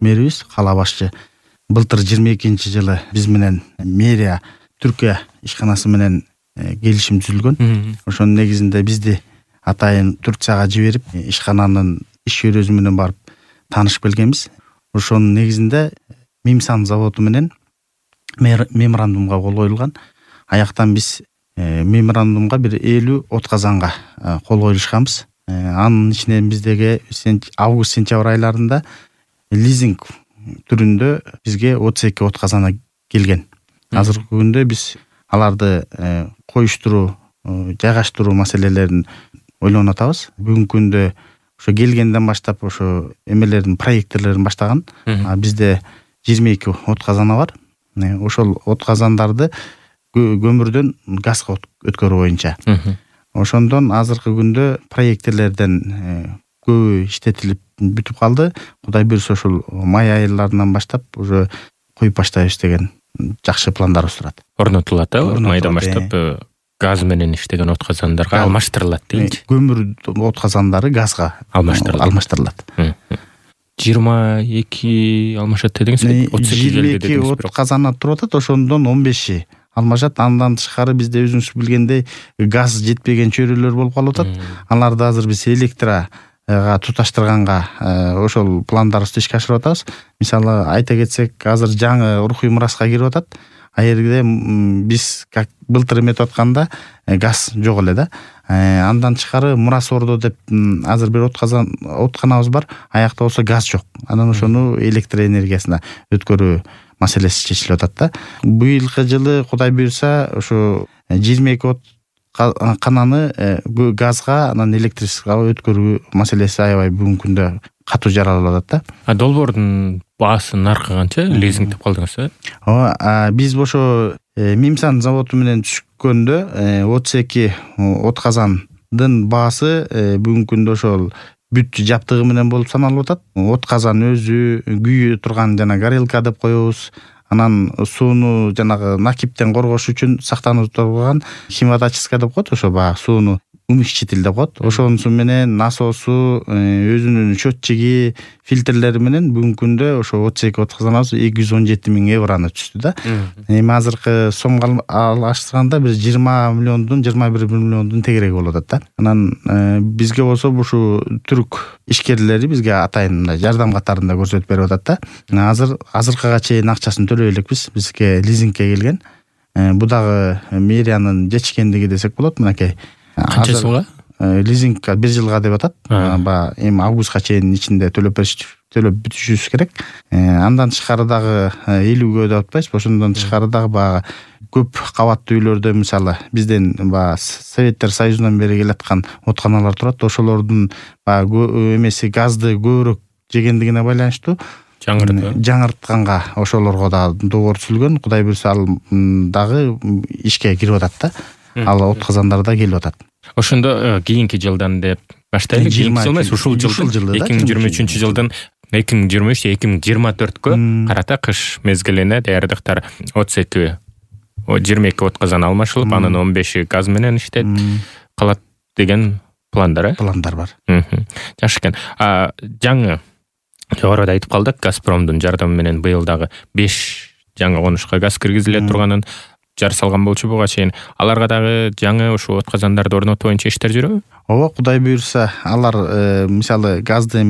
мэрибиз, кала башчы былтыр 22-жылы биз менен мэрия Түркия ишканасы менен келишим түзүлгөн. Ошонун негизинде бизди атайын Турцияга жиберип, ишкананын иш чөйрөсү менен барып таанышып келгенбиз. Ошонун негизинде Мимсан заводу менен меморандумга кол коюлган. Аяктан биз меморандумга бир 50 отказанга кол коюлушканбыз. Анын ичинен биздеги август-сентябрь айларында лизинг түрүндө бизге 32 отказана келген. Азыркы күндө биз аларды коюштуруу, жайгаштыруу маселелерин ойлонуп атабыз. Бүгүнкү күндө ошо келгенден баштап ошо эмелердин проекттерлерин баштаган. Бизде 22 отказана бар. Ошол отказандарды көмүрдөн газга өткөрүү боюнча. Ошондон азыркы күндө проекттерлерден көбү иштетилип бүтүп калды. Кудай буйрса ошол май айларынан баштап уже коюп баштайбыз деген жакшы пландарыбыз турат. Орнотулат, майдан баштап газ менен иштеген отказандарга алмаштырылат дейинчи. Көмүр отказандары газга алмаштырылат. 22 алмашат дедиңиз, 32 келди дедиңиз. 22 отказана туруп атат, ошондон 15 алмашат. Андан тышкары бизде өзүңүз билгендей газ жетпеген чөйрөлөр болуп калып атат. Аларды азыр биз электрага туташтырганга ошол пландарыбызды ишке ашырып атабыз. Мисалы айта кетсек, азыр жаңы рухий мураска кирип атат. Аерде биз как былтыр эметип атканда газ жок эле да. Андан тышкары Мурас Ордо деп азыр бир отканабыз бар. Аякта болсо газ жок. Анан ошону электр энергиясына өткөрүү маселеси чечилип атат да. Быйылкы жылы Кудай буйрса ошо 22 кананы газга, анан электричествого өткөрүү маселеси аябай бүгүнкү күндө катуу жаралып атат да. Долбоордун баасы наркы канча? Лизинг деп калдыңыз, Биз ошо Мимсан заводу менен түшкөндө 32 отказандын баасы бүгүнкү күндө ошол бүт жаптыгы менен болуп саналып атат. Отказан өзү, күйү турган жана горелка деп коебуз. Анан сууну жанагы накиптен коргош үчүн сактанып турган химиотическая деп коет, ошо баягы сууну умягчитель деп коет. Ошонусу менен насосу, өзүнүн счетчиги, фильтрлери менен бүгүнкү күндө ошо 32 отказанабыз 217 000 евроны түштү да. Эми азыркы сомго алыштырганда бир 20 миллиондун 21 миллиондун тегереги болуп атат да. Анан бизге болсо ушу түрк ишкерлери бизге атайын мындай жардам катарында көрсөтүп берип атат да. Азыркыга чейин акчасын төлөй элекпиз. Бизге лизингке келген. Бу дагы мэриянын жечкендиги десек болот. Мынакей канча жылга? Лизингка 1 жылга деп атат. Эми августка чейин ичинде төлөп бүтүшүбүз керек. Андан тышкары дагы 50 деп атпайбыз. Ошондон тышкары дагы баягы көп кабаттуу үйлөрдө мисалы бизден баягы Советтер Союзунан бери келаткан отканалар турат. Ошолордун баягы эмеси газды көбүрөөк жегендигине байланыштуу жаңыртканга ошолорго дагы договор түзүлгөн. Кудай буйрса ал дагы ишке кирип атат да. Ал отказандар да келип атат. Ошондо кийинки жылдан деп баштайлы. Кийинки жыл эмес, ушул жылда 2023 жылдан 2023-2024кө карата кыш мезгилине даярдыктар 22 отказан алмашылып, анын 15 газ менен иштет калат деген пландар бар. Жакшы экен. Жаңы жогоруда айтып калдык, Газпромдун жардамы менен быйыл дагы 5 жаңы конушка газ киргизиле турганын жар салган болчу буга чейин. Аларга дагы жаңы ошо отказандарды орнотуу боюнча иштер жүрөбү? Ооба, Кудай буйрса, алар мисалы газды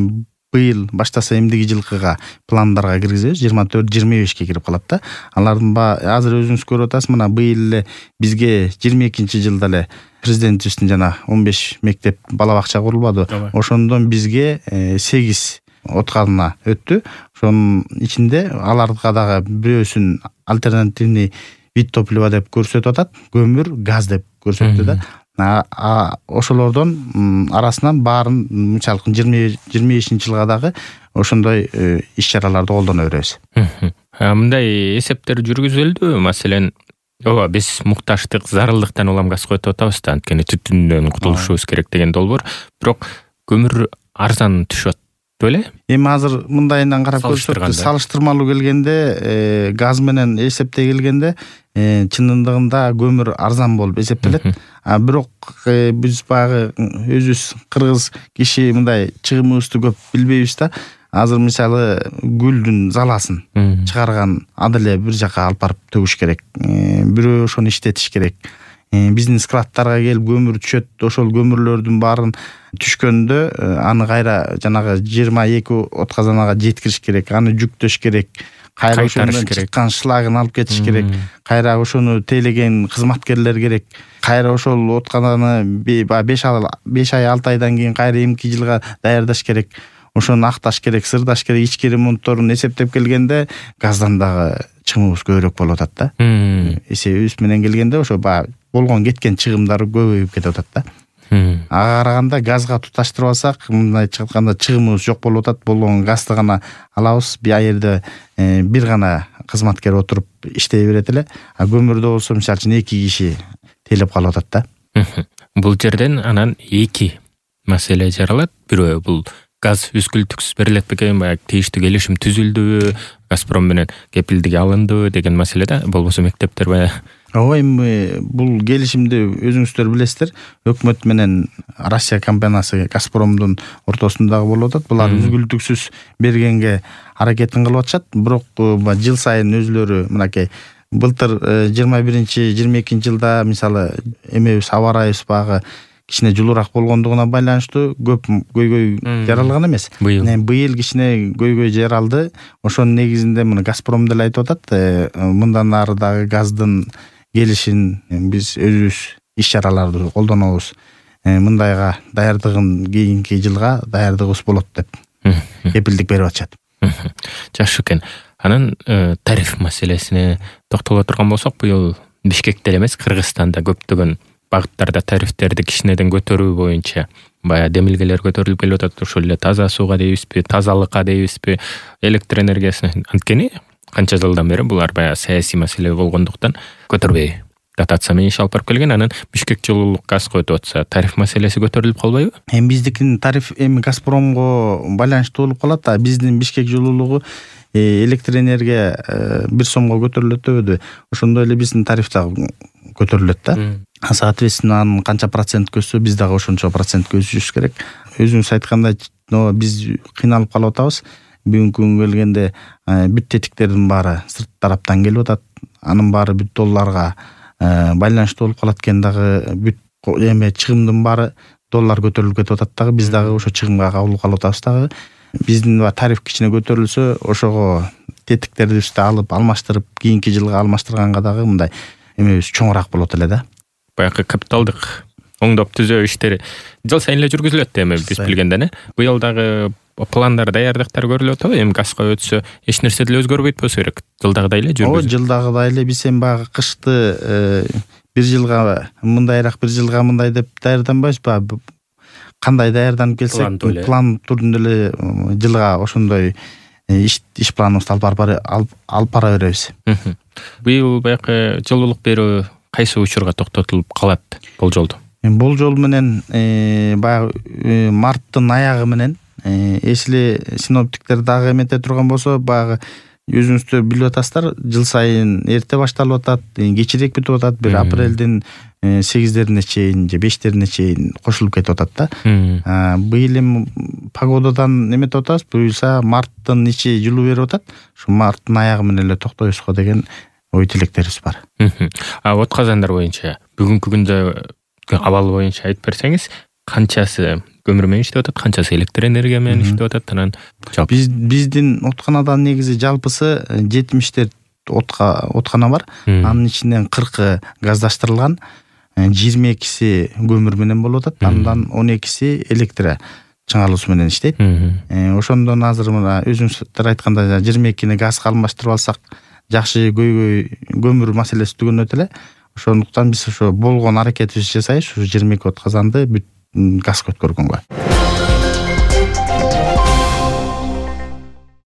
быйыл баштаса эмдиги жылкыга пландарга киргизебиз. 24-25ке кирип калат да. Алардын азыр өзүңүз көрүп атасыз, мына быйыл эле бизге 22-жылда эле президентибиздин жана 15 мектеп бала бакча курулбады. Ошондон бизге 8 отказана өттү. Ошонун ичинде аларга дагы бирөөсүн альтернативный вид топлива деп көрсөтүп атат, көмүр, газ деп көрсөттү да. Ошолордон арасынан баарын мисалы 25-жылга дагы ошондой иш-чараларды колдоно беребиз. Мындай эсептер жүргүзүлдү. Маселен, биз мукташтык, зарылдыктан улам газ коюп атабыз да, анткени түтүндөн кутулушубуз керек деген долбоор. Бирок көмүр арзан түшөт беле? Эми азыр мындайынан карап көрсөк, салыштырмалуу келгенде, газ менен эсептей келгенде, чынындыгында көмүр арзан болуп эсептелет. Бирок биз баягы өзүбүз кыргыз киши мындай чыгымыбызды көп билбейбиз да. азыр мисалы гүлдүн заласын чыгарган ады эле бир жака алып барып төгүш керек, бирөө ошону иштетиш керек. Биздин складтарга келип көмүр түшөт, ошол көмүрлөрдүн баарын түшкөндө аны кайра жанагы 22 отказанага жеткириш керек, аны жүктөш керек, кайра ошондон чыккан шлагын алып кетиш керек, кайра ошону тейлеген кызматкерлер керек, кайра ошол откананы 5 ай 6 айдан кийин кайра эмки жылга даярдаш керек, ошону акташ керек, сырдаш керек, ички ремонтторун эсептеп келгенде газдан дагы чыгымыбыз көбүрөөк болуп атат да. Эсебибиз менен келгенде ошо болгон кеткен чыгымдар көбөйүп кетип атат да. Ага караганда газга туташтырып алсак, мындайча айтканда чыгымыбыз жок болуп атат. Болгон газды гана алабыз, бир жерде бир гана кызматкер отуруп иштей берет эле. А көмүрдө болсо мисалы үчүн 2 киши тейлеп калып атат да. Бул жерден анан 2 маселе жаралат. Бирөө бул газ үзгүлтүксүз берилет бекен, баягы тийиштүү келишим түзүлдүбү, Газпром менен кепилдиги алындыбы деген маселеде, болбосо мектептер баягы. Ооба, эми бул келишимди өзүңүздөр билесиздер, өкмөт менен Россия компаниясы Газпромдун ортосундагы болуп атат. Булар үзгүлтүксүз бергенге аракетин кылып атышат, бирок жыл сайын өзүлөрү мынакей былтыр 21-22 жылда мисалы эмебиз аба ырайыбыз багы кичине жылуурак болгондугуна байланыштуу көп көйгөй жаралган эмес. Быйыл кичине көйгөй жаралды. Ошонун негизинде мына Газпром деле айтып атат, мындан ары дагы газдын келишин биз өзүбүз иш чараларды колдонобуз. Мындайга даярдыгын кийинки жылга даярдыгыбыз болот деп кепилдик берип атышат. Жакшы экен. Анан тариф маселесине токтоло турган болсок, быйыл Бишкекте эмес, Кыргызстанда көптөгөн багыттарда тарифтерди кичинеден көтөрүү боюнча баягы демилгелер көтөрүлүп келип атат. Ошол эле таза сууга дейбизби, тазалыкка дейбизби, электр энергиясына. Анткени канча жылдан бери булар баягы саясий маселе болгондуктан көтөрбөй дотация менен иш алып барып келген. Анан Бишкек жылуулук газга өтүп атса, тариф маселеси көтөрүлүп калбайбы? Эми биздикинин тариф эми Газпромго байланыштуу болуп калат, а биздин Бишкек жылуулугу электр энергия 1 сомго көтөрүлөт дебеди. Ошондой эле биздин тариф дагы көтөрүлөт да. Соответственно, анын канча процент өссө, биз дагы ошончо процентке өсүшүбүз керек. Өзүңүз айткандай, биз кыйналып калып атабыз. Бүгүнкү күнгө келгенде бүт тетиктердин баары сырт тараптан келип атат. Анын баары бүт долларга байланыштуу болуп калат экен дагы. Бүт эме чыгымдын баары доллар көтөрүлүп кетип атат дагы. Биз дагы ошо чыгымга кабыл калып атабыз дагы. Биздин тариф кичине көтөрүлсө, ошого тетиктерибизди алып алмаштырып, кийинки жылга алмаштырганга дагы мындай эмебиз чоңураак болот эле да. Баягы капиталдык оңдоп түзөө иштери жыл сайын эле жүргүзүлөт эми биз билгенден. Быйыл дагы пландар, даярдыктар көрүлүп атабы? Эми газга өтсө эч нерсе деле өзгөрбөйт болсо керек. Жылдагыдай эле жүргүзүлөт. Ооба, жылдагыдай эле биз эми баягы кышты бир жылга мындайраак, бир жылга мындай деп даярданбайбызбы? Кандай даярданып келсек, план түрүндө эле жылга ошондой иш планыбызды алып бара беребиз. Быйыл баягы жылуулук берүү кайсы учурга токтотулуп калат болжолду? Болжол менен баягы марттын аягы менен, если синоптиктер дагы эмете турган болсо, баягы өзүңүздөр билип атасыздар, жыл сайын эрте башталып атат, кечирээк бүтүп атат, бир апрелдин 8-дерине чейин же 5-дерине чейин кошулуп кетип атат да. Быйыл эми погодадан эметип атабыз, буюрса марттын ичи жылуу берип атат. Ушу марттын аягы менен эле токтойбузго деген ой тилектерибиз бар. Отказандар боюнча бүгүнкү күндө абал боюнча айтып берсеңиз, канчасы көмүр менен иштеп атат, канчасы электр энергия менен иштеп атат? Анан биздин отканадан негизи жалпысы 70 откана бар. Анын ичинен 40 газдаштырылган, 22си көмүр менен болуп атат, андан 12си электр чыңалуусу менен иштейт. Ошондон азыр мына өзүңүздөр айткандай 22ни газга алмаштырып алсак, жакшы көмүр маселеси түгөнөт эле. Ошондуктан биз ошо болгон аракетибизди жасайбыз, ушу 22 отказанды бүт газга өткөргөнгө.